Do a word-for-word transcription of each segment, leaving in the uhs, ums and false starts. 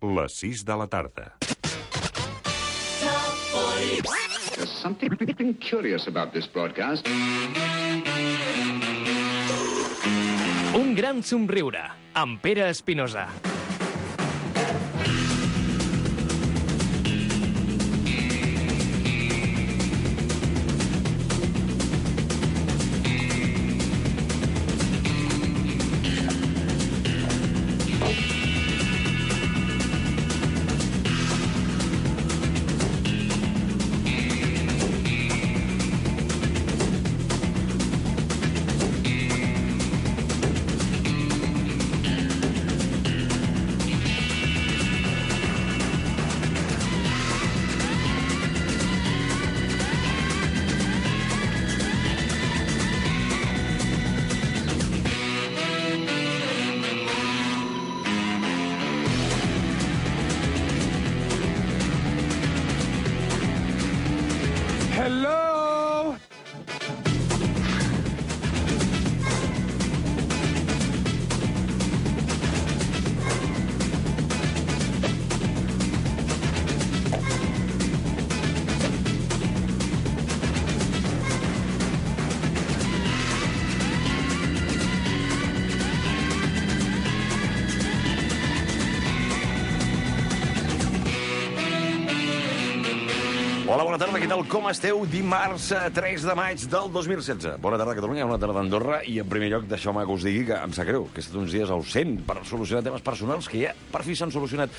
les sis de la tarda. There's something curious about this broadcast. Un gran somriure, amb Pere Espinosa. Hello? Hola, bona tarda, què tal? Com esteu? Dimarts tres de maig del dos mil setze. Bona tarda, Catalunya, bona tarda, Andorra. I, en primer lloc, deixeu-me que us digui que em sap greu, que he estat uns dies ausent per solucionar temes personals que ja per fi s'han solucionat.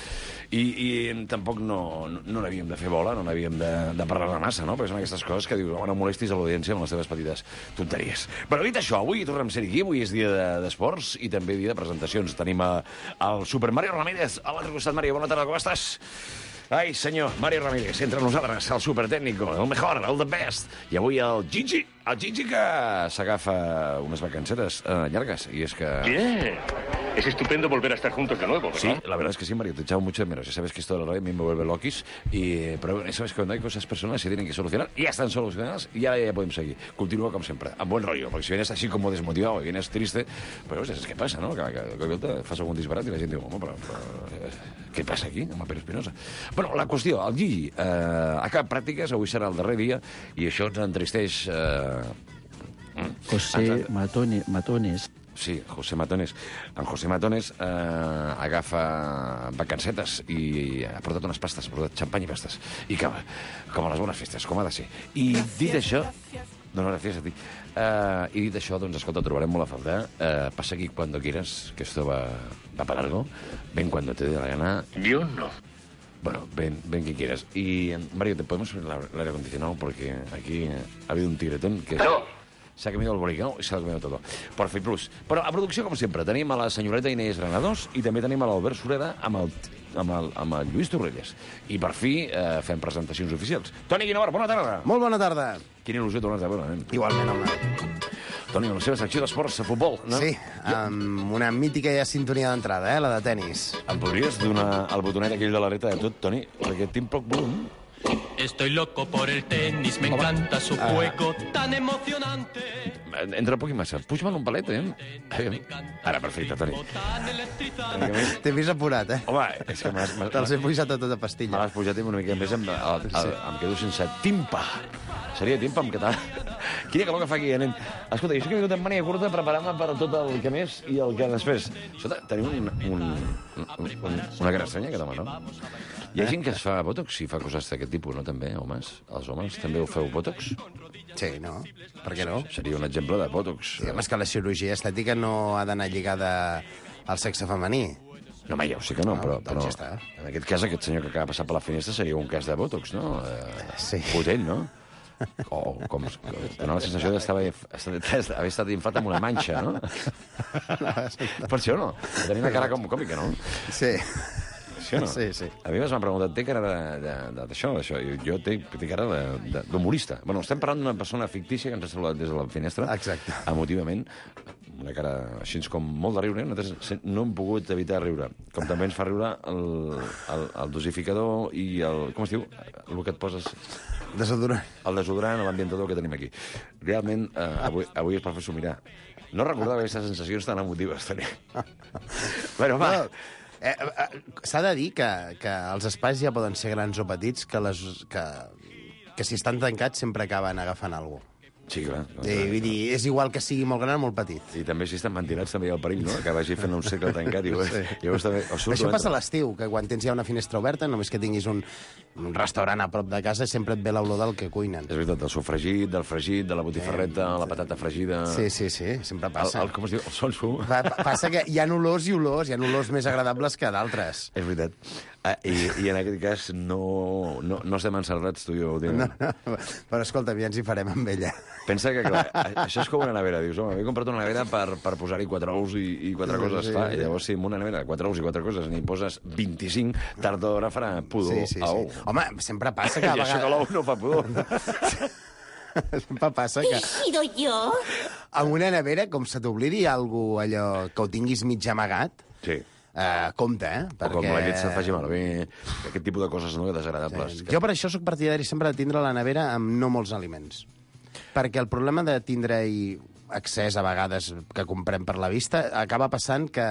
I, i tampoc no, no, no n'havíem de fer bola, no n'havíem de, de parlar aquesta, no? Perquè són aquestes coses que dius, oh, no molestis a l'audiència amb les teves petites tonteries. Però dit això, avui tornem a ser aquí, avui és dia d'esports de, i també dia de presentacions. Tenim a, el Super Mario Ramírez a l'altre costat. Mario, bona tarda, com estàs? Ai, senyor, Mario Ramírez, entre nosaltres, el supertècnico, el mejor, el the best. I avui el Gigi, el Gigi que s'agafa unes vacancetes eh, llargues. I és que... Bien. Es estupendo volver a estar juntos de nuevo, ¿verdad? Sí, la verdad es que sí, Mario, te echaba mucho de menos. Ya sabes que esto de la radio a mí me vuelve loquis. Y, pero sabes que cuando hay cosas personales se tienen que solucionar. Y ya están solucionadas y ya, ya podemos seguir. Continúa como siempre, a buen rollo. Porque si vienes así como desmotivado y vienes triste, pues es que pasa, ¿no? Que, que, que, que fas algun disbarat i la gent diu, home, però, però què passa aquí, amb el Pere Espinosa? Bueno, la qüestió, el Gigi eh, ha acabat pràctiques, avui serà el darrer dia, i això ens entristeix... Eh, José ens... Matone, Matones. Sí, José Matones. En José Matones eh, agafa vacancetes i ha portat unes pastes, ha portat xampany i pastes. I cava, com a les bones festes, com ha de ser. I dit això... No, no, gràcies a ti. Uh, I dit això, doncs, escolta, trobarem molt a faltar. Uh, pasa aquí cuando quieras, que esto va, va para largo. Ven cuando te dé la gana. Yo no. Bueno, ven, ven que quieras. Y, Mario, ¿te podemos poner el aire acondicionado? Porque aquí ha habido un tigretón que... No. S'ha comido el boricao i s'ha comido todo. Por Fi Plus. Però a producció, com sempre, tenim a la senyoreta Inés Granados i també tenim a l'Albert Sureda amb el, amb el, amb el Lluís Torrelles. I per fi eh, fem presentacions oficials. Toni Guinovart, bona tarda. Molt bona tarda. Quina il·lusió tornar-te a veure, nen. Igualment, home. Toni, la seva secció d'esports, de futbol, no? Sí, amb una mítica ja sintonia d'entrada, eh, la de tennis. Em podries donar el botonet aquell de l'areta de tot, Toni? Perquè tinc poc volum. Estoy loco por el tenis, me encanta su juego tan emocionante. Entra poc i massa. Puja-me'l un palet, eh? Ara, perfecte, Toni. T'he vist apurat, eh? Home, és que m'has... Te'ls he pujat a tota pastilla. Me l'has pujat una mica més, em, el, el, em quedo sense timpa. Seria timpa en català. Quina calor que fa aquí, nen. Escolta, jo que he vingut en mania curta preparant-me per tot el que més i el que després. Escolta, tenim un, un, un, un, una cara estranya, aquest home, no? Hi ha gent que es fa botox i fa coses d'aquest tipus, no, també, homes? Els homes també ho feu botox? Sí, no? Per què no? Seria un exemple de botox. Sí, home, és que la cirurgia estètica no ha d'anar lligada al sexe femení. No, home, ja ho sé que no, No, però, doncs però ja està. en aquest cas, aquest senyor que acaba de passar per la finestra seria un cas de botox, no? Eh, Sí. Potent, no? O com... Dóna la sensació d'haver estat inflat amb una manxa, no? Per això no? Tenir una cara com còmica, no? Sí. Sí o no? Sí, sí. A mi m'han preguntat, té cara d'això, d'això? Jo té, té cara d'humorista. Bueno, estem parlant d'una persona fictícia que ens ha saludat des de la finestra. Exacte. Emotivament. Una cara així com molt de riure. Nosaltres no hem pogut evitar riure. Com també ens fa riure el, el, el dosificador i el... Com es diu? El que et poses... Desodorant. El desodorant, l'ambientador que tenim aquí. Realment, eh, avui, avui és per fer-s'ho mirar. No recordava aquestes sensacions tan emotives, Toni. Bueno, va... No. Eh, eh, S'ha de dir que, que els espais ja poden ser grans o petits, que, les, que, que si estan tancats sempre acaben agafant alguna cosa. Sí, clar. Sí, vull dir, és igual que sigui molt gran o molt petit. I també si estan ventilats també hi ha el perill, no? Que vagi fent un segle tancat. I llavors, sí. llavors també, Això passa a l'estiu, que quan tens ja una finestra oberta, només que tinguis un, un restaurant a prop de casa, sempre et ve l'olor del que cuinen. És veritat, del sofregit, del fregit, de la botifarreta, eh, la patata fregida... Sí, sí, sí, sempre passa. El, el, com es diu? El sonso. Pa, passa que hi ha olors i olors, hi ha olors més agradables que d'altres. És veritat. Ah, i, I en aquest cas no, no, no estem encerrats, tu i jo. No, no, però escolta, ja ens hi farem amb ella. Pensa que, clar, això és com una nevera. Dius, home, m'he comprat una nevera per, per posar-hi quatre ous i, i quatre sí, coses. Sí, clar, sí. I llavors, si en una nevera, quatre ous i quatre coses, n'hi poses vint-i-cinc, tard o d'hora farà pudor sí, sí, a ou. Sí. Home, sempre passa que a vegades... I això que l'ou no fa pudor. Sempre passa que... He sido yo. Amb una nevera, com se t'oblidi alguna allò que ho tinguis mig amagat... Sí. Uh, compte, eh? Perquè... O com la llet se'n faci malbé, aquest tipus de coses no, desagradables. Sí. Que... Jo per això sóc partidari sempre de tindre la nevera amb no molts aliments. Perquè el problema de tindre-hi accés a vegades que comprem per la vista acaba passant que,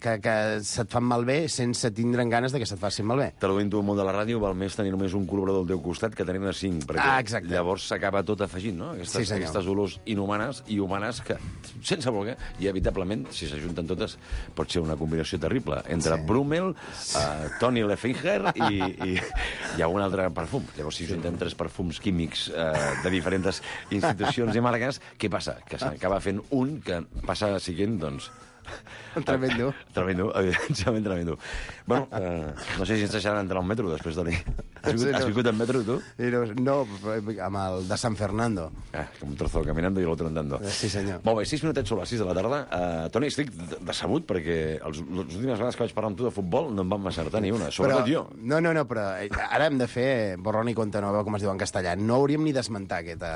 que, que se't fan malbé sense tindre'n ganes de que se't facin malbé. Te l'ho vinto al món de la ràdio, val més tenir només un col·laborador al teu costat que tenir-ne cinc, perquè ah, exacte. llavors s'acaba tot afegint, no? Aquestes, sí, aquestes olors inhumanes i humanes que, sense voler, i evitablement, si s'ajunten totes, pot ser una combinació terrible entre sí. Brummel, uh, Toni Lefinger i, i, i algun altre perfum. Llavors, si junten tres perfums químics uh, de diferents institucions i marques, què passa? Que s'acaba fent un que passa siguent, doncs... Tremendo. Tremendo, evidentment tremendo. Bueno, eh, no sé si ens deixaran entrar al metro després de dir... Has vingut, has vingut en metro, tu? No, amb el de San Fernando. Ah, com un trozo caminando i l'altre andando. Sí, senyor. Molt bé, sis minutets sobre les sis de la tarda. Uh, Toni, estic decebut perquè els, les últimes vegades que vaig parlar amb tu de futbol no em van acertar ni una, sobretot però, jo. No, no, no, però ara hem de fer borrón i compte nova, com es diu en castellà. No hauríem ni d'esmentar aquesta...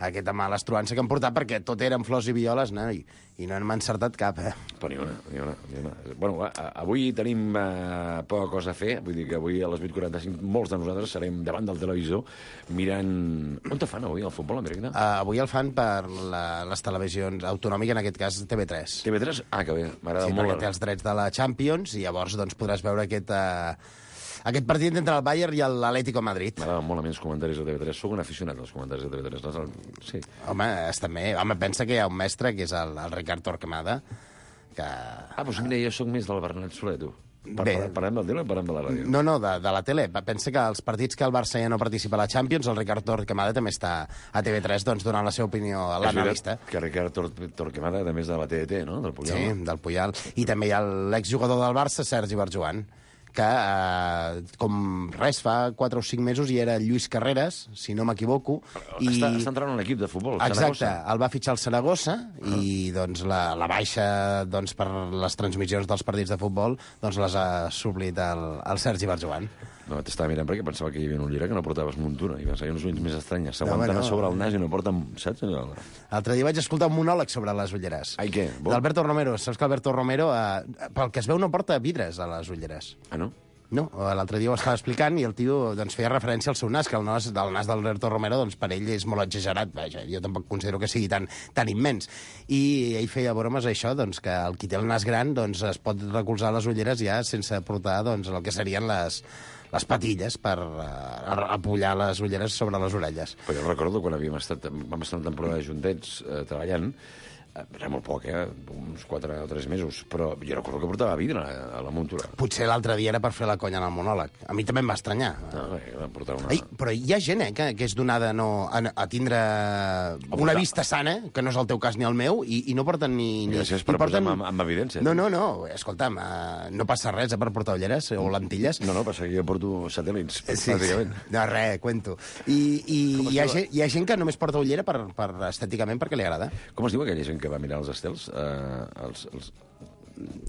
aquesta mala estruança que hem portat, perquè tot eren flors i violes, no? I, i no hem encertat cap, eh? Però ni una, ni una, ni una. Bueno, va, avui tenim uh, poca cosa a fer, vull dir que avui a les vuit quaranta-cinc molts de nosaltres serem davant del televisor mirant... On te fan avui el futbol en directe? Uh, avui el fan per la, les televisions autonòmiques, en aquest cas T V tres. T V tres? Ah, que bé, m'agrada sí, molt. Sí, perquè té els drets de la Champions i llavors doncs, podràs veure aquest... Uh, Aquest partit entre el Bayern i l'Atlético de Madrid. M'agraden molt a mi els comentaris de T V tres. Soc un aficionat als comentaris de T V tres. Sí. Home, també, home, pensa que hi ha un mestre, que és el, el Ricard Torquemada, que... Ah, doncs mira, jo sóc més del Bernat Soler, tu. Per, Bé, parlem del tele o parlem de la ràdio? No, no, de, de la tele. Pensa que els partits que el Barça ja no participa a la Champions, el Ricard Torquemada també està a T V tres doncs, donant la seva opinió a l'analista. Que Ricard Tor Torquemada, a més de la T D T, no? Del Puyal. Sí, del Puyal. I també hi ha l'exjugador del Barça, Sergi Barjuan, que, eh, com res, fa quatre o cinc mesos hi era Lluís Carreras, si no m'equivoco. I... Està, està entrant en un equip de futbol, exacte, Saragossa. El va fitxar el Saragossa uh-huh. i doncs, la, la baixa doncs, per les transmissions dels partits de futbol doncs, les ha suplit el, el Sergi Barjuan. No, t'estava mirant perquè pensava que hi havia un llibre que no portaves muntura i pensava, hi ha uns ulls més estranyes, s'aguanten no, no. sobre el nas i no porten, saps? L'altre dia vaig escoltar un monòleg sobre les ulleres. Ai, què? D'Alberto Romero. Saps que Alberto Romero, eh, pel que es veu, no porta vidres a les ulleres. Ah, no? No, l'altre dia ho estava explicant i el tio doncs, feia referència al seu nas, que el nas, el nas d'Alberto Romero doncs, per ell és molt exagerat. Vaja, jo tampoc considero que sigui tan, tan immens. I ell feia bromes a això, doncs, que el qui té el nas gran doncs, es pot recolzar les ulleres ja sense portar doncs, el que serien les, les patilles per uh, apullar les ulleres sobre les orelles. Però jo recordo quan havíem estat, vam estar en temporada juntets eh, treballant, era molt poc, eh? Uns quatre o tres mesos, però jo recordo que portava vidre a la muntura. Potser l'altre dia era per fer la conya en el monòleg. A mi també em va estranyar. No, bé, vam portar una... Ei, però hi ha gent eh, que, que és donada no, a, a tindre a una vista sana, que no és el teu cas ni el meu, i, i no porten ni... ni Gràcies per porten... posar-me amb, amb evidència. No, no, no, escolta'm, uh, no passa res eh, per portar ulleres o lentilles. No, no, passa que jo porto satèl·lits, sí, bàsicament. No, res, cuento. I, i hi, ha gent, hi ha gent que només porta ullera per, per estèticament perquè li agrada. Com es diu aquella gent que va mirar els estels? Uh, els, els...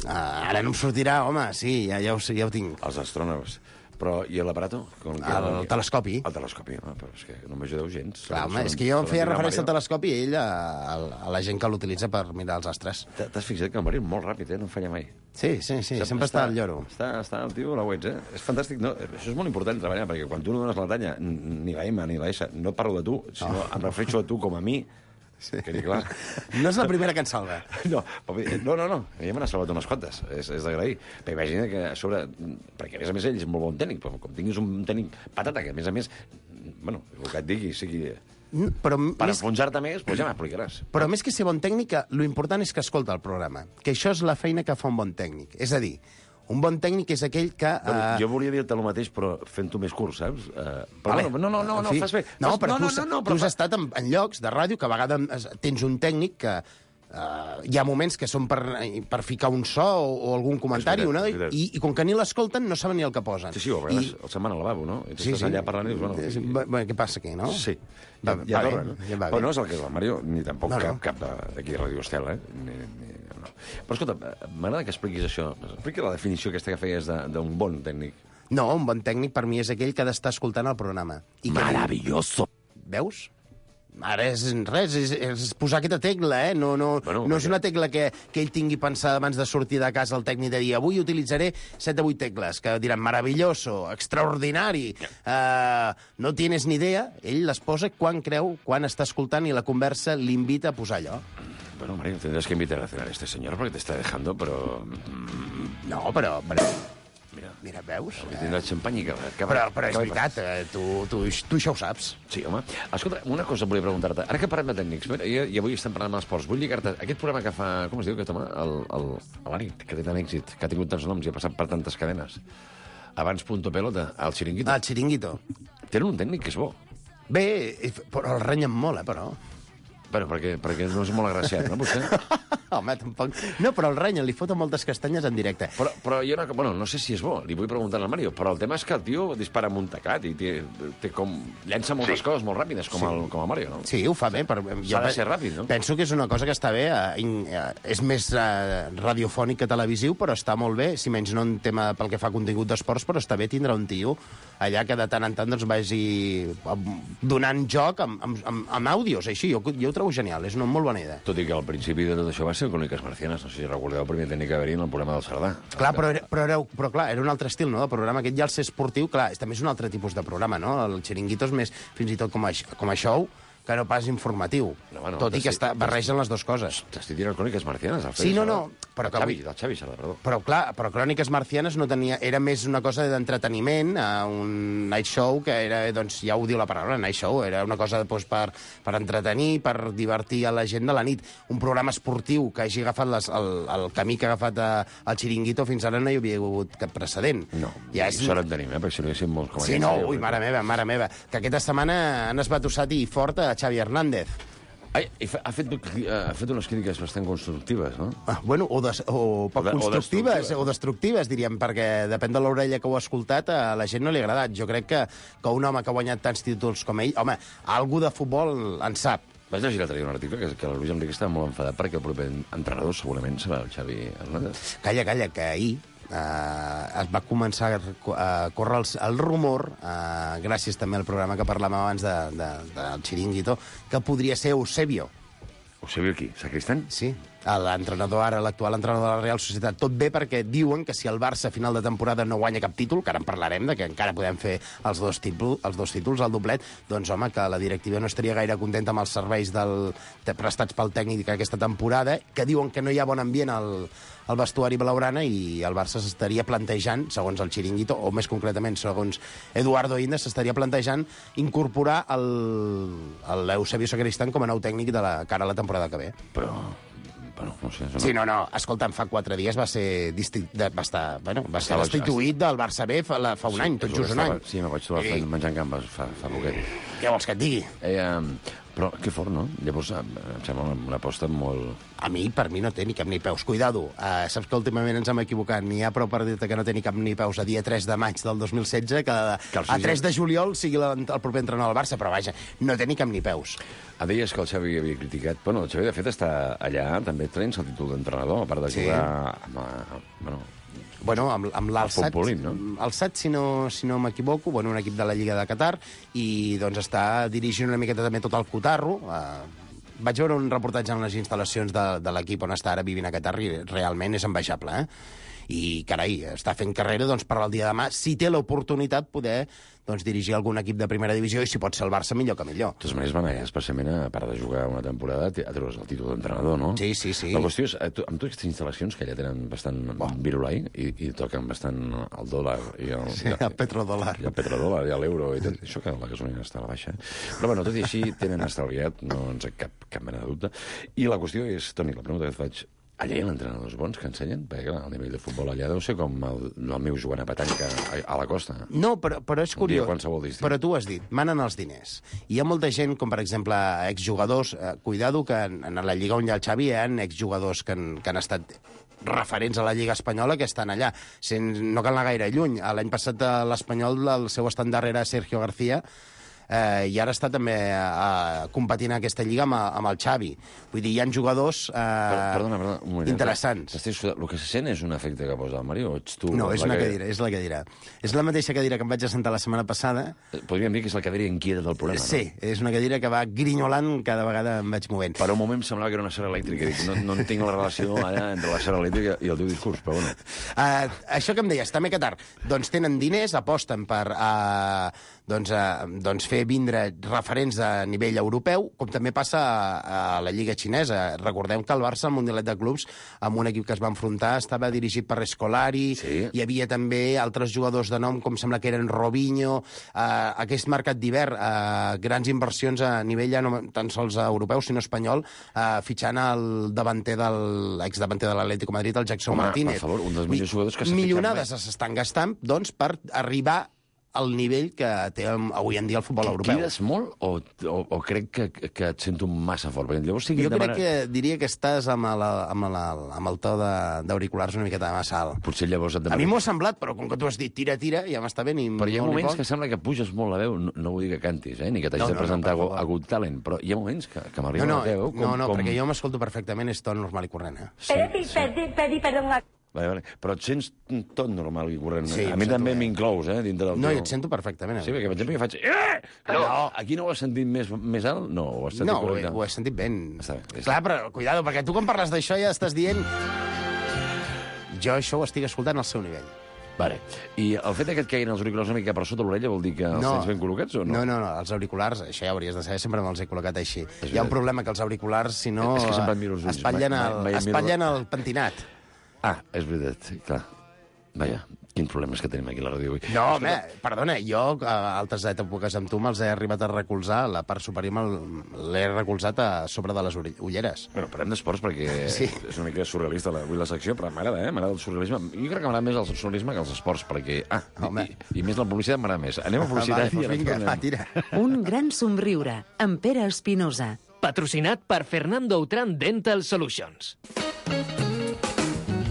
Uh, ara no em sortirà, home, sí, ja, ja, ho, ja ho tinc. Els astrònoms. Però, i l'aparato? El, el telescopi. El telescopi, home, però és que no m'ajudeu gens. Clar, home, és que jo em feia referència al telescopi i ell a, a, a la gent que l'utilitza per mirar els astres. T'has fixat que el Marí és molt ràpid, eh? No falla mai. Sí, sí, sí, Sap, sempre està, està al lloro. Està, està el tio a la web, eh? És fantàstic. No, això és molt important treballar, perquè quan tu no dones la talla, ni la M ni la S, no parlo de tu, sinó no. em refereixo a tu com a mi, Sí. Que dir, clar. No és la primera que ens salva. No, no, no, no. Ja me n'ha salvat unes quantes. És, és d'agrair. Però imagina que a sobre... Perquè, a més a més, ell és molt bon tècnic, però com tinguis un tècnic patata, que a més a més... Bueno, el que et digui, sigui... Però Per més, enfonsar-te més, doncs ja m'explicaràs. però més que ser bon tècnic, lo important és que escolta el programa. Que això és la feina que fa un bon tècnic. És a dir, un bon tècnic és aquell que... Bueno, eh, jo volia dir-te el mateix, però fent-ho més curt, saps? Uh, però Vale. bueno, no, no, no, En no, fi. fas bé. No, Fas... però no, tu, no, no, no, tu però has fa... estat en, en llocs de ràdio que a vegades tens un tècnic que uh, hi ha moments que són per, per ficar un so o, o algun comentari, És veritat, una, és veritat. i, i com que ni l'escolten no saben ni el que posen. Sí, sí, o a vegades el se'n van al lavabo, no? I tu estàs allà parlant i dius, bueno... Sí, i- bueno, què passa aquí, no? Sí. Va, ja va torna, bé, no? ja va Però bé. no és el que és la Mario, ni tampoc No, no. cap, cap de- d'aquí a Radio Estel, eh? Ni, ni, no. Però escolta, m'agrada que expliquis això. Explica la definició aquesta que feies de- d'un bon tècnic. No, un bon tècnic per mi és aquell que ha d'estar escoltant el programa. I que... Maravilloso! Veus? Ara és res, és, és posar aquesta tecla, eh? No, no, Bueno, no és perquè- una tecla que, que ell tingui pensada abans de sortir de casa el tècnic de dir avui utilitzaré set o vuit tecles, que diran maravilloso, extraordinari, uh, no tienes ni idea. Ell les posa quan creu, quan està escoltant i la conversa l'invita a posar allò. Bueno, Mario, tendrás que invitar a cenar a este señor porque te está dejando, pero... No, però... però Mira, mira, veus? avui tindrà xampany i que... que Però, però és que- veritat, eh, tu, tu, tu això ho saps. Sí, home. Escolta, una cosa volia preguntar-te. Ara que parlem de tècnics, mira, i, i avui estem parlant d'esports, vull lligar-te aquest programa que fa... Com es diu, aquest home? El, el, a la nit, que té tant èxit, que ha tingut tants noms i ha passat per tantes cadenes. Abans Punto Pelota, el Chiringuito. Ah, el xiringuito. Tenen un tècnic que és bo. Bé, eh, però el renyen molt, eh, però. Bueno, perquè, perquè no és molt agraciat, no, vostè? Home, tampoc... No, però el renyen, li foten moltes castanyes en directe. Però, però jo no, bueno, no sé si és bo, li vull preguntar al Mario, però el tema és que el tio dispara amb un tacat i té, té com... llença moltes sí. coses molt ràpides, com, sí. el, com el Mario, no? Sí, ho fa bé. Però S'ha de ser ràpid, no? Penso que és una cosa que està bé. Eh, in, eh, és més eh, radiofònic que televisiu, però està molt bé, si menys no en tema pel que fa a contingut d'esports, però està bé tindre un tio allà que de tant en tant doncs, vagi donant joc amb, amb, amb, amb àudios, així. Jo, jo ho trobo genial, és una molt bona idea. Tot i que al principi de tot això va ser Cròniques Marcianes, no sé si recordeu el primer tècnic que va haver-hi en el programa del Cerdà. Clar, però, era, però, era, però clar, era un altre estil, no?, del programa. Aquest ja el ser esportiu, clar, és, també és un altre tipus de programa, no? El Chiringuito és més, fins i tot com a, com a show, que no pas informatiu. No, bueno, tot i que t'estic- està, barregen les dues coses. T'estic dient Cròniques Marcianes, el Sí, no, no, però però que el Xavi, avui- del Xavi Sala, perdó. Però, clar, però Cròniques Marcianes no tenia... Era més una cosa d'entreteniment, eh, un night show que era, doncs, ja ho diu la paraula, night show, era una cosa doncs, per, per entretenir, per divertir a la gent de la nit. Un programa esportiu que hagi agafat les, el, el camí que ha agafat eh, el Chiringuito fins ara no hi havia hagut cap precedent. No, ja és... sort en tenim, eh? Perquè si no hi haguéssim molts com Sí, aquests, no, ja ho ui, crec. mare meva, mare meva. Que aquesta setmana han esbatussat i fort a Xavi Hernández. Ai, i fa- ha, fet, ha fet unes crítiques bastant constructives, no? Ah, bueno, o, des, o poc O de- o constructives, destructives. o destructives, diríem, perquè depèn de l'orella que ho ha escoltat, a la gent no li ha agradat. Jo crec que, que un home que ha guanyat tants títols com ell, home, algú de futbol en sap. Vas llegir l'altre dia un article que, que el Luis Enrique estava molt enfadat perquè el proper entrenador segurament serà el Xavi Hernández. Calla, calla, que ahir eh, es va començar a córrer el, el rumor, eh, gràcies també al programa que parlàvem abans de, de, del Chiringuito, que podria ser Eusebio. Eusebio aquí, Sacristán? Sí, l'entrenador ara, l'actual entrenador de la Real Societat. Tot bé perquè diuen que si el Barça a final de temporada no guanya cap títol, que ara en parlarem, de que encara podem fer els dos, títol, els dos títols, el doblet, doncs home, que la directiva no estaria gaire contenta amb els serveis del, de prestats pel tècnic aquesta temporada, que diuen que no hi ha bon ambient al, al vestuari blaugrana i el Barça s'estaria plantejant, segons el Chiringuito, o més concretament segons Eduardo Inda, s'estaria plantejant incorporar l'Eusebio Sacristán com a nou tècnic de la cara a la temporada que ve. Però, bueno, no sé... Sí, no, no, escolta'm, fa quatre dies va ser, disti... de, va estar, bueno, va ser Estava- destituït del Barça B fa, la, fa un any, tot just un any. Sí, me vaig trobar I- menjant gambes fa, fa poquet. Què vols que et digui? Eh, um, però que fort, no? Llavors, em em sembla una, una aposta molt... A mi, per mi, no té ni cap ni peus. Cuidado, uh, saps que últimament ens hem equivocat. N'hi ha prou per dir-te que no té ni cap ni peus a dia tres de maig del dos mil setze, que, Que el a Suïssa- tres de juliol sigui la, el proper entrenador del Barça, però vaja, no té ni cap ni peus. Ah, deies que el Xavi havia criticat... Bueno, el Xavi, de fet, està allà, també traient el títol d'entrenador, a part de Sí. jugar... Amb, eh, bueno, Bueno, amb, amb l'Alsat, futbolín, no? Alsat, si no, si no m'equivoco, bueno, un equip de la Lliga de Qatar, i doncs està dirigint una miqueta també tot el cotarro. Eh, vaig veure un reportatge en les instal·lacions de, de l'equip on està ara vivint a Qatar i realment és envejable, eh? i carai, està fent carrera doncs, per al dia de demà, si té l'oportunitat poder doncs, dirigir algun equip de primera divisió i si pot ser el Barça millor que millor. De totes maneres, van allà especialment a part de jugar una temporada a treure's el títol d'entrenador, no? Sí, sí, sí. La qüestió és, amb totes aquestes instal·lacions que allà tenen bastant oh. virulai i, i toquen bastant el dòlar i el, sí, el petrodòlar. I el petrodòlar i l'euro i tot. Això que la gasolina està a la baixa. Però bueno, tot i així tenen estalviat, no ens ha cap, cap mena de dubte. I la qüestió és, Toni, la pregunta que et faig, allà hi ha entrenadors bons que ensenyen? Perquè clar, el nivell de futbol allà deu ser com el, el meu Joan Apatànica a, a la costa. No, però, però és curiós. Però tu ho has dit, manen els diners. I hi ha molta gent, com per exemple exjugadors, eh, cuidado que en, en la Lliga on hi ha el Xavi hi ha exjugadors que han, que han estat referents a la Lliga Espanyola que estan allà. Sen, no cal anar gaire lluny. L'any passat l'Espanyol, el seu estandard era Sergio García, eh, i ara està també eh, competint en aquesta lliga amb, amb el Xavi. Vull dir, hi ha jugadors eh, perdona, perdona, un moment, interessants. El que se sent és un efecte que posa el Mario o ets tu? No, és una cadira, és la cadira. És la mateixa cadira que em vaig assentar la setmana passada. Podríem dir que és la cadira inquieta del programa, sí, no? Sí, és una cadira que va grinyolant cada vegada em vaig movent. Per un moment em semblava que era una serra elèctrica. Dic, no, no entenc la relació allà entre la serra elèctrica i el teu discurs, però bueno. Uh, això que em deies, també Qatar, doncs tenen diners, aposten per uh, doncs, uh, doncs fer vindre referents a nivell europeu, com també passa a, a la Lliga Xinesa. Recordem que el Barça, al Mundialet de Clubs, amb un equip que es va enfrontar, estava dirigit per Scolari, sí. Hi havia també altres jugadors de nom, com sembla que eren Robinho, uh, aquest mercat d'hivern, uh, grans inversions a nivell ja no tan sols europeu, sinó espanyol, uh, fitxant el davanter del exdavanter de l'Atlético Madrid, el Jackson Home, Martínez. Per favor, un dels millors jugadors que s'ha Milionades s'estan gastant, doncs, per arribar al nivell que té avui en dia el futbol europeu. Crides molt o, o, o crec que, que et sento massa fort? Perquè llavors sí que jo crec demana... que diria que estàs amb, la, amb, la, amb el to d'auriculars una miqueta massa alt. Potser llavors et demana... A mi m'ho ha semblat, però com que tu has dit tira, tira, ja m'està bé. Però hi ha moments que sembla que puges molt la veu, no, no vull dir que cantis, eh? Ni que t'hagis no, de presentar no, no, a Good Talent, però hi ha moments que, que m'arriba no, no, la veu... Com, no, no, com... perquè jo m'escolto perfectament, és to normal i corrent. Eh? Sí, pedi, sí. pedi, pedi, perdó. Vale, vale. Però et sents tot normal i corrent. Sí, a mi també m'inclous, eh, dintre del no, teu... jo et sento perfectament. Eh? Sí, perquè per exemple que faig... Eh! No, no, aquí no ho has sentit més, més alt? No, ho has sentit no, correcte. No, ho he sentit ben. Està bé. Clar, però cuidado, perquè tu quan parles d'això ja estàs dient... Jo això ho estic escoltant al seu nivell. Vale. I el fet que et caiguin els auriculars una mica per sota l'orella vol dir que els no. tens ben col·locats o no? No, no, no, els auriculars, això ja hauries de saber, sempre me'ls he col·locat així. Hi ha un problema que els auriculars, si no, és que sempre et miro els ulls. espatllen, el, mai, mai espatllen el pentinat. Ah, és veritat, clar. Vaja, quins problemes que tenim aquí a la ràdio avui. No, home, perdona, jo a altres èpoques amb tu me'ls he arribat a recolzar, la part superior l'he recolzat a sobre de les ulleres. Bueno, parlem d'esports perquè sí. És una mica surrealista avui la secció, però m'agrada, eh? M'agrada el surrealisme. Jo crec que m'agrada més el surrealisme que els esports, perquè... Ah, i, i, i més la publicitat m'agrada més. Anem a publicitat. Vale, i vinga, va, tira. Un gran somriure, amb Pere Espinosa. Patrocinat per Fernando Outram Dental Solutions.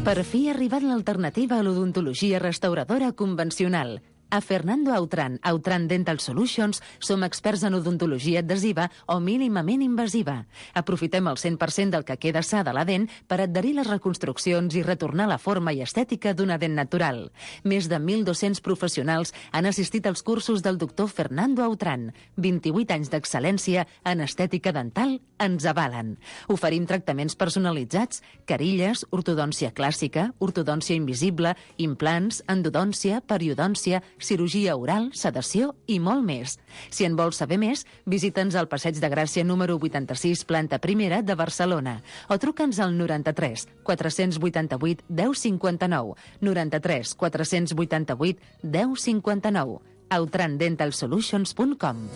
Per fi ha arribat l'alternativa a l'odontologia restauradora convencional. A Fernando Outram, Outram Dental Solutions, som experts en odontologia adhesiva o mínimament invasiva. Aprofitem el cent per cent del que queda sa de la dent per adherir les reconstruccions i retornar la forma i estètica d'una dent natural. Més de mil dos-cents professionals han assistit als cursos del doctor Fernando Outram. vint-i-vuit anys d'excel·lència en estètica dental ens avalen. Oferim tractaments personalitzats, carilles, ortodòncia clàssica, ortodòncia invisible, implants, endodòncia, periodòncia, cirurgia oral, sedació i molt més. Si en vols saber més, visita'ns al Passeig de Gràcia número vuitanta-sis, planta primera de Barcelona, o truca'ns al noranta-tres quatre-cents vuitanta-vuit deu cinquanta-nou, noranta-tres quatre-cents vuitanta-vuit deu cinquanta-nou, outram dental solutions punt com.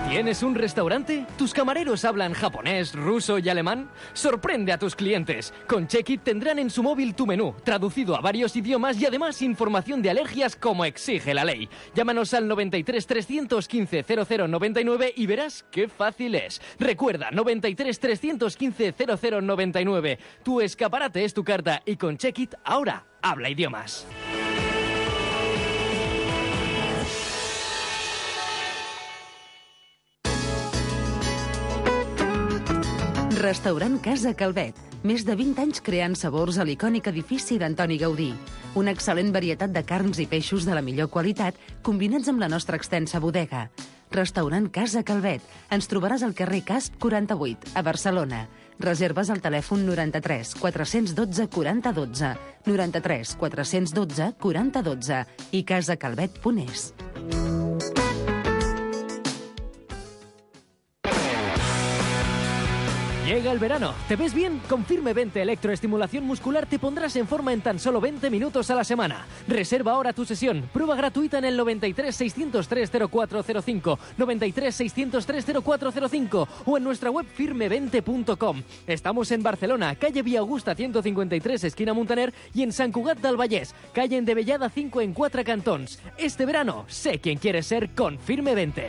¿Tienes un restaurante? ¿Tus camareros hablan japonés, ruso y alemán? Sorprende a tus clientes. Con Check-It tendrán en su móvil tu menú, traducido a varios idiomas y además información de alergias como exige la ley. Llámanos al noventa y tres trescientos quince cero cero noventa y nueve y verás qué fácil es. Recuerda, noventa y tres trescientos quince cero cero noventa y nueve. Tu escaparate es tu carta y con Check-It ahora habla idiomas. Restaurant Casa Calvet. Més de vint anys creant sabors a l'icònic edifici d'Antoni Gaudí. Una excel·lent varietat de carns i peixos de la millor qualitat, combinats amb la nostra extensa bodega. Restaurant Casa Calvet. Ens trobaràs al carrer Casp quaranta-vuit, a Barcelona. Reserves al telèfon noranta-tres quatre-cents dotze quaranta dotze, noranta-tres quatre-cents dotze quaranta dotze i casacalvet punt es. Llega el verano. ¿Te ves bien? Con Firme veinte Electroestimulación Muscular te pondrás en forma en tan solo veinte minutos a la semana. Reserva ahora tu sesión. Prueba gratuita en el noventa y tres seiscientos tres cero cuatro cero cinco, noventa y tres seiscientos tres cero cuatro cero cinco o en nuestra web firme veinte punto com. Estamos en Barcelona, calle Vía Augusta ciento cincuenta y tres, esquina Muntaner, y en Sant Cugat del Vallès, calle Endevellada cinco en Quatre Cantons. Este verano, sé quién quieres ser con Firme veinte.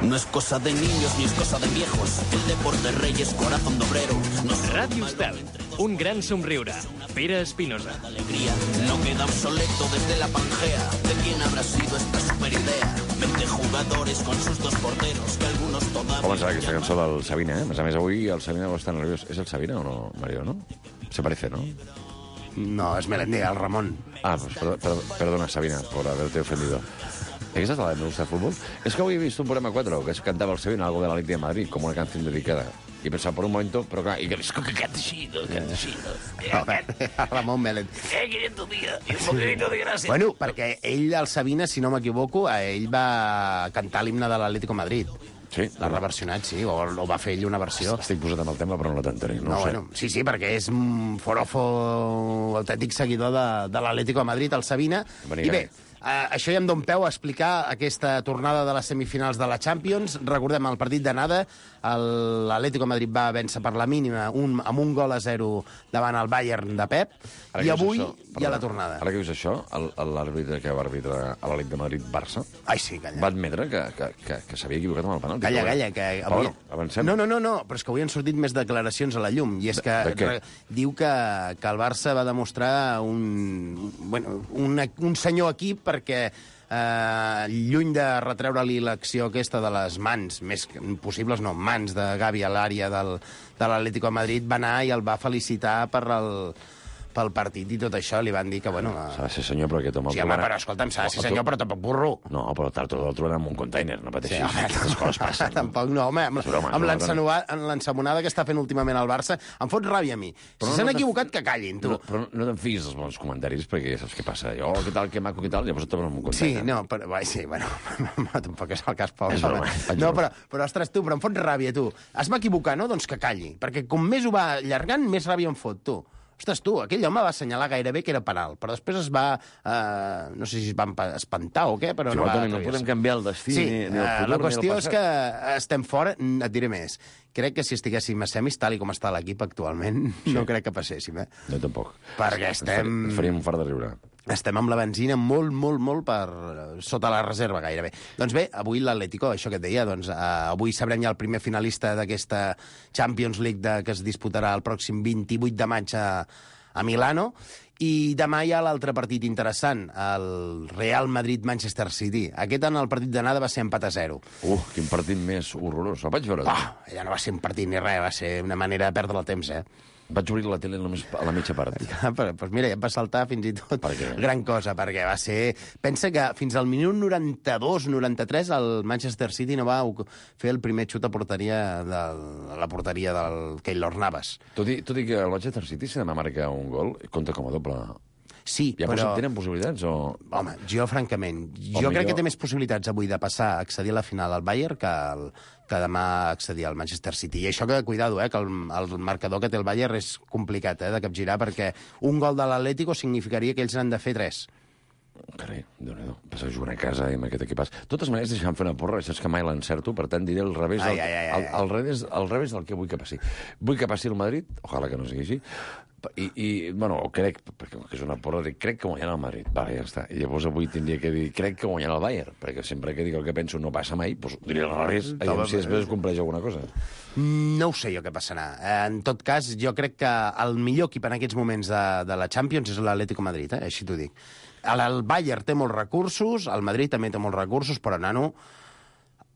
No es cosa de niños ni es cosa de viejos. El deporte rey es corazón de obrero. No Ràdio Estel, un gran somriure. Pere Espinosa. Alegría no queda obsoleto desde la Pangea. ¿De quién habrá sido esta superidea? veinte jugadores con sus dos porteros que algunos todavía... Com serà aquesta cançó del Sabina, eh? A més a més, avui el Sabina està nerviós. És el Sabina o no, Mario, no? Se parece, ¿no? No, es Melendi, el Ramon. Ah, pues perdona, perdona Sabina, por haberte ofendido. ¿Esa es la de Me gusta el fútbol? Es que hoy he visto un programa cuatro que se cantaba el Sevilla, algo de la Liga de Madrid, como una canción dedicada. Y pensaba por un momento, pero claro, y que que cante así, que cante así. Ramon Melendi. Eh, quinientos días, y un poquito de gràcia. Bueno, perquè ell, el Sabina, si no m'equivoco, ell va cantar l'himne de l'Atlético de Madrid. Sí. L'ha reversionat, sí, o, o va fer ell una versió. Estic posat amb el tema, però no t'entenc. No, No, no sé. bueno, sí, sí, perquè és un forofo autèntic seguidor de, de l'Atlético de Madrid, el Sabina. Venia. I bé, Uh, això ja em dona peu a explicar aquesta tornada de les semifinals de la Champions. Recordem el partit d'anada, l'Atlético de Madrid va vèncer per la mínima un, amb un gol a zero davant el Bayern de Pep, Ara i que avui dius això, hi ha la perdona, tornada. Ara que dius això, el- l'àrbitre que va arbitrar a la Liga de Madrid-Barça Ai, sí, calla. va admetre que, que, que, que s'havia equivocat amb el penalti. Calla, Però calla, bé. que Però avui... bueno, avancem. No, no, no, no, però és que avui han sortit més declaracions a la llum, i és que De- de què? re- diu que, que el Barça va demostrar un, bueno, un, un senyor equip perquè eh, lluny de retreure-li l'acció aquesta de les mans, més que- possibles no, mans de Gavi a l'àrea del, de l'Atlético de Madrid, va anar i el va felicitar per el, pel partit i tot això, li van dir que, bueno... S'ha de ser senyor, però aquest home... Sí, home, però escolta'm, s'ha de ser senyor, però tampoc burro. No, però tard o d'altre trobarem un container, no pateixis. Sí, home, Aquestes coses passen. Tampoc no, home, amb, És broma, amb és l'encenua- amb l'ensamonada que està fent últimament el Barça, em fot ràbia a mi. Però Si no s'han te- equivocat, que callin, tu. No, però no te'n fiïs dels bons comentaris, perquè ja saps què passa. Jo, oh, què tal, que maco, què tal, llavors et troben un Sí, container. no, però, vai, sí, bueno, tampoc és el cas, pobre. És broma, home. faig No, broma. però, però, ostres, tu, però em fot ràbia, tu. Es va equivocar, no? Doncs que calli, perquè com més ho va allargant, més ràbia em fot, tu. Ostres, tu, aquell home va assenyalar gairebé que era penal, però després es va... Eh, no sé si es va empa- espantar o què, però Sí, no però, va... Toni, no podem canviar el destí, Sí, ni, ni el eh, futur, la qüestió ni el és passat. que estem fora, et diré més. Crec que si estiguéssim a semis, tal i com està l'equip actualment, sí. no crec que passéssim, eh? No, tampoc. Perquè Ens estem... faríem- Ens faríem un fart de riure. Estem amb la benzina molt, molt, molt per sota la reserva, gairebé. Doncs bé, avui l'Atlético, això que et deia, doncs eh, avui sabrem ja el primer finalista d'aquesta Champions League de, que es disputarà el pròxim vint-i-vuit de maig a, a Milano, i demà hi ha l'altre partit interessant, el Real Madrid-Manchester City. Aquest en el partit d'anada va ser empat a zero. Uh, quin partit més horrorós. El vaig veure. Ah, ja no va ser un partit ni res, va ser una manera de perdre el temps, eh? Vaig obrir la tele només a la mitja part. Ah, però, doncs mira, ja em va saltar fins i tot Per què? gran cosa, perquè va ser... Pensa que fins al minut noranta-dos noranta-tres el Manchester City no va fer el primer xut a porteria de la porteria del Keylor Navas. Tot i, tot i que el Manchester City, si demà marca un gol, compta com a doble. Sí, Ja però... tenen possibilitats o... Home, jo, francament, jo millor- crec que té més possibilitats avui de passar a accedir a la final al Bayern que, el, que demà accedir al Manchester City. I això que, cuidado, eh, que el, el marcador que té el Bayern és complicat eh, de capgirar, perquè un gol de l'Atlético significaria que ells n'han de fer tres. Carai, Déu-n'hi-do. Passa a jugar a casa i amb aquest equipàs. De totes maneres, deixa'm fer una porra, això és que mai l'encerto, per tant diré al revés, del, Ai, ai, ai, ai. al, al, revés, al revés del que vull que passi. Vull que passi el Madrid, ojalà que no sigui així, i, i bueno, crec, perquè és una porra, dic, crec que guanyarà el Madrid. Vale, ja està. I llavors avui tindria que dir, crec que guanyarà el Bayern, perquè sempre que dic el que penso no passa mai, doncs diré al revés, aviam si després es compleix alguna cosa. No ho sé jo què passarà. Eh, En tot cas, jo crec que el millor equip en aquests moments de, de la Champions és l'Atlético de Madrid, eh? Així t'ho dic. El, el Bayern té molts recursos, el Madrid també té molts recursos, però, nano,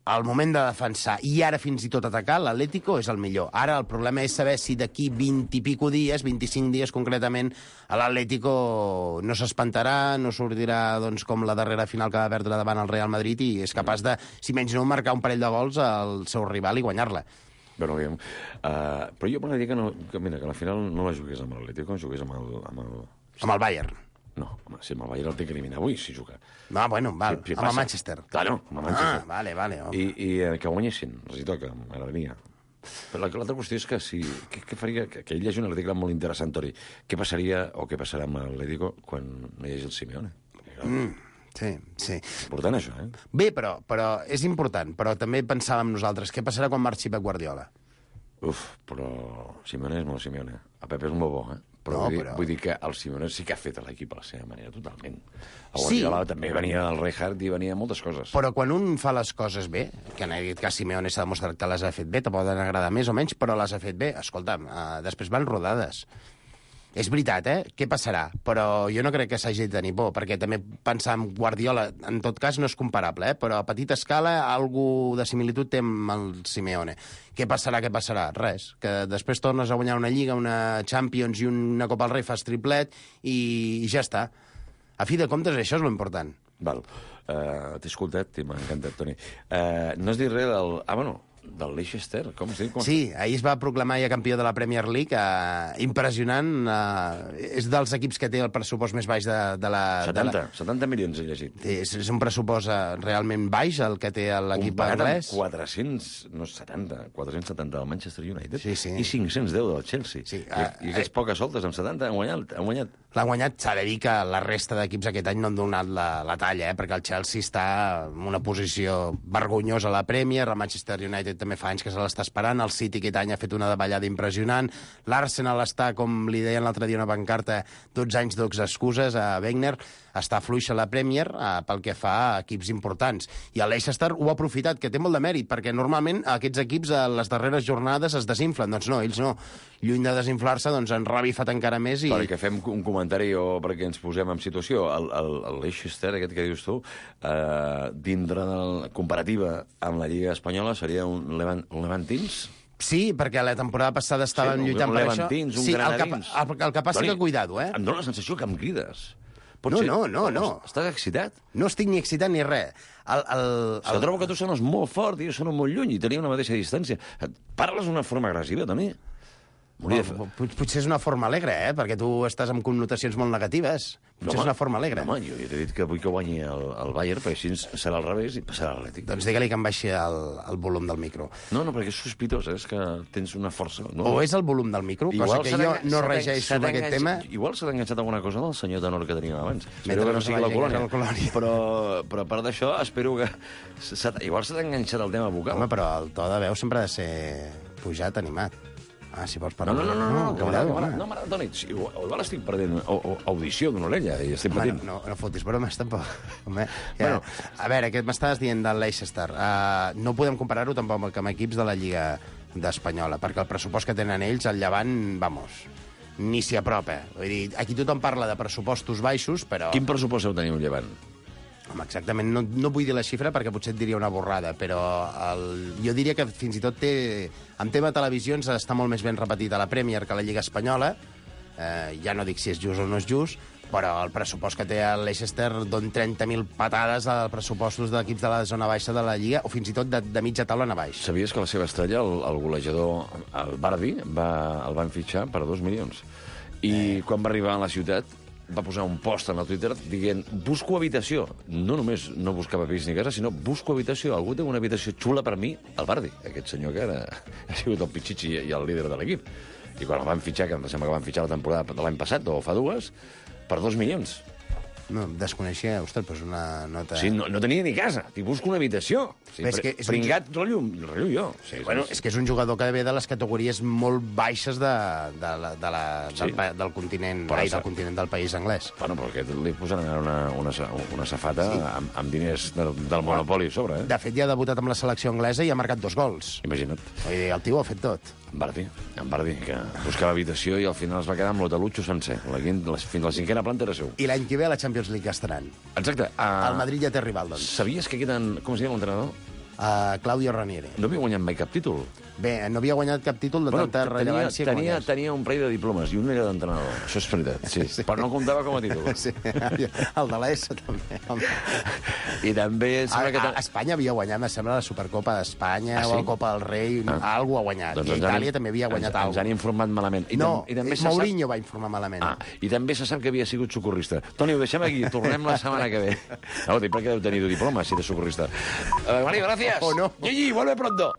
al moment de defensar i ara fins i tot atacar, l'Atlético és el millor. Ara el problema és saber si d'aquí vint i pico dies, vint-i-cinc dies concretament, l'Atlético no s'espantarà, no sortirà doncs, com la darrera final que va perdre davant el Real Madrid i és capaç de, si menys no, marcar un parell de gols al seu rival i guanyar-la. Bueno, aviam. Uh, però jo m'agradaria que, no, que, mira, que a la final no la jugués amb l'Atlético, que jugués amb el... Amb el, amb el Bayern. No, home, si amb el Bayern el té que eliminar avui, si juga. No, bueno, val, si, si amb el Manchester. Claro, amb el Manchester. Ah, vale, vale. Oh. I, i eh, que guanyessin, els hi toca, m'agradaria. Però l'altra qüestió és que si... Què, què faria? Que, que ell llegeix un article molt interessant, Tori. Què passaria o què passarà amb l'Atlético quan no hi hagi el Simeone? Mm. Sí, sí. Important, això, eh? Bé, però, però és important, però també pensàvem nosaltres, què passarà quan marxi Pep Guardiola? Uf, però Simeone és molt Simeone. A Pep és un bobó, eh? Però, no, vull, dir, però... vull dir que el Simeone sí que ha fet l'equip a la seva manera, totalment. El Sí. Guardiola també venia del Rijkaard i venia moltes coses. Però quan un fa les coses bé, que en aquest cas Simeone s'ha demostrat que les ha fet bé, te poden agradar més o menys, però les ha fet bé, escolta'm, uh, després van rodades. És veritat, eh? Què passarà? Però jo no crec que s'hagi de tenir por, perquè també pensar en Guardiola, en tot cas, no és comparable, eh? Però a petita escala, algú de similitud té amb el Simeone. Què passarà, què passarà? Res. Que després tornes a guanyar una Lliga, una Champions i una Copa del Rei, fas triplet i, i ja està. A fi de comptes, això és l'important. Val. Uh, T'he escoltat i m'ha encantat, Toni. Uh, no has dit res del... Ah, bueno, del Leicester, com es diu? Com sí, ahir es va proclamar ja campió de la Premier League, eh, impressionant, eh, és dels equips que té el pressupost més baix de, de la... setanta, de la... setanta milions he llegit. És, és un pressupost eh, realment baix, el que té l'equip Comparat anglès. amb quatre-cents, no setanta, quatre-cents setanta del Manchester United sí, sí. i cinc-cents deu del Chelsea. Sí, I, uh, I aquests uh, poques soltes, amb setanta, han guanyat. Han guanyat. L'ha guanyat, s'ha de dir que la resta d'equips aquest any no han donat la, la talla, eh? Perquè el Chelsea està en una posició vergonyosa a la Premier, el Manchester United també fa anys que se l'està esperant, el City aquest any ha fet una davallada impressionant, l'Arsenal està, com li deien l'altre dia una pancarta, dotze anys d'ox excuses a Wenger, està fluixa la Premier eh, pel que fa a equips importants. I el Leicester ho ha aprofitat, que té molt de mèrit, perquè normalment aquests equips a les darreres jornades es desinflen. Doncs no, ells no. Lluny de desinflar-se, doncs han revifat encara més i... Perquè fem un comentari o perquè ens posem en situació. El, el, el Leicester, aquest que dius tu, eh, dintre de la comparativa amb la Lliga Espanyola, seria un, Levant, un Levantins? Sí, perquè la temporada passada estaven sí, lluitant un per Levantins, això. Un sí, Granadins. El que, el, el que passa Doni, que cuidado, eh? Em dóna la sensació que em crides. Pot no, ser? no, no, no. Estàs excitat? No estic ni excitat ni res. El, el, el... Se trobo que tu sones molt fort i jo sono molt lluny i tenim una mateixa distància. Parles d'una forma agressiva, Toni? Bueno, potser és una forma alegre, eh? Perquè tu estàs amb connotacions molt negatives. Potser no, és una forma alegre. No, home, jo t'he dit que vull que guanyi el, el Bayern, perquè així serà al revés i passarà l'Atlètic. Doncs digue-li que em baixi el, el volum del micro. No, no, perquè és sospitós, eh? És que tens una força... No? O és el volum del micro, igual cosa que jo no regeixo d'aquest tema. Igual s'ha enganxat alguna cosa del senyor tenor que teníem abans. Espero que no sigui la colònia. colònia. Però, però a part d'això, espero que... Igual s'ha enganxat el tema vocal. Home, però el to de veu sempre ha de ser pujat, animat. Ah, si vols parlar... No, no, no, no, no, que m'agrada, no, m'agrada, Toni. Igual, igual estic perdent audició d'una orella i estic patint. Bueno, no, no fotis bromes, tampoc. Home, ja. Bueno, a veure, què m'estaves dient del Leicester? Uh, no podem comparar-ho tampoc amb equips de la Lliga d'Espanyola, perquè el pressupost que tenen ells, al Llevant, vamos, ni s'hi apropa. Vull dir, aquí tothom parla de pressupostos baixos, però... Quin pressupost heu tenir un Llevant? Home, exactament, no, no vull dir la xifra perquè potser et diria una borrada, però el, jo diria que fins i tot té... En tema televisions està molt més ben repetit a la Premier que a la Lliga Espanyola. Eh, ja no dic si és just o no és just, però el pressupost que té el Leicester don trenta mil patades als pressupostos d'equips de la zona baixa de la Lliga, o fins i tot de, de mitja taula a baix. Sabies que la seva estrella, el, el golejador, el Bardi, va, el van fitxar per dos milions. I eh. quan va arribar a la ciutat va posar un post en el Twitter dient busco habitació. No només no buscava pis ni casa, sinó busco habitació. Algú té una habitació xula per mi, el Bardi, aquest senyor que ara ha sigut el pitxitxi i el líder de l'equip. I quan el van fitxar, que em sembla que van fitxar la temporada de l'any passat, o fa dues, per dos milions. No, desconeixia, ostres, doncs una nota... Sí, no, no tenia ni casa, t'hi busco una habitació. Sí, és que és pringat, un... rello, rello jo. Sí, bueno, sí. És que és un jugador que ve de les categories molt baixes de, de la, de la, sí. del, del continent, ai, del continent del país anglès. Bueno, però aquest li posaran una, una, una safata sí. amb, amb diners del, del Monopoli a sobre, eh? De fet, ja ha debutat amb la selecció anglesa i ha marcat dos gols. Imagina't. Vull dir, el tio ho ha fet tot. En Bardi, en Bardi, que buscava habitació i al final es va quedar amb l'hotelutxo sencer. La, la, fins a la cinquena planta era seu. I l'any que ve a la Champions League estaran. Exacte. Uh, el Madrid ja té rival, doncs. Sabies que queden... Com es diu l'entrenador? Uh, Claudio Ranieri. No havia guanyat mai cap títol. Bé, no havia guanyat cap títol de tanta tenia, rellevància com tenia, aquest. tenia un parell de diplomes, i un era d'entrenador. Això és veritat, sí. sí. Però no comptava com a títol. Sí, el de l'E S també. I també... A, a, a Espanya havia guanyat, em sembla, la Supercopa d'Espanya, ah, sí? o la Copa del Rei, ah. algú ha guanyat. Doncs I Itàlia també havia guanyat ens, alguna cosa. Ens han informat malament. I no, tam, i també Mourinho sap... va informar malament. Ah, i també se sap que havia sigut socorrista. Toni, ho deixem aquí, tornem la setmana que ve. No, dic perquè deu tenir diploma, si eres socorrista. Uh, Mario, gracias. O no. Gigi, vuelve pronto.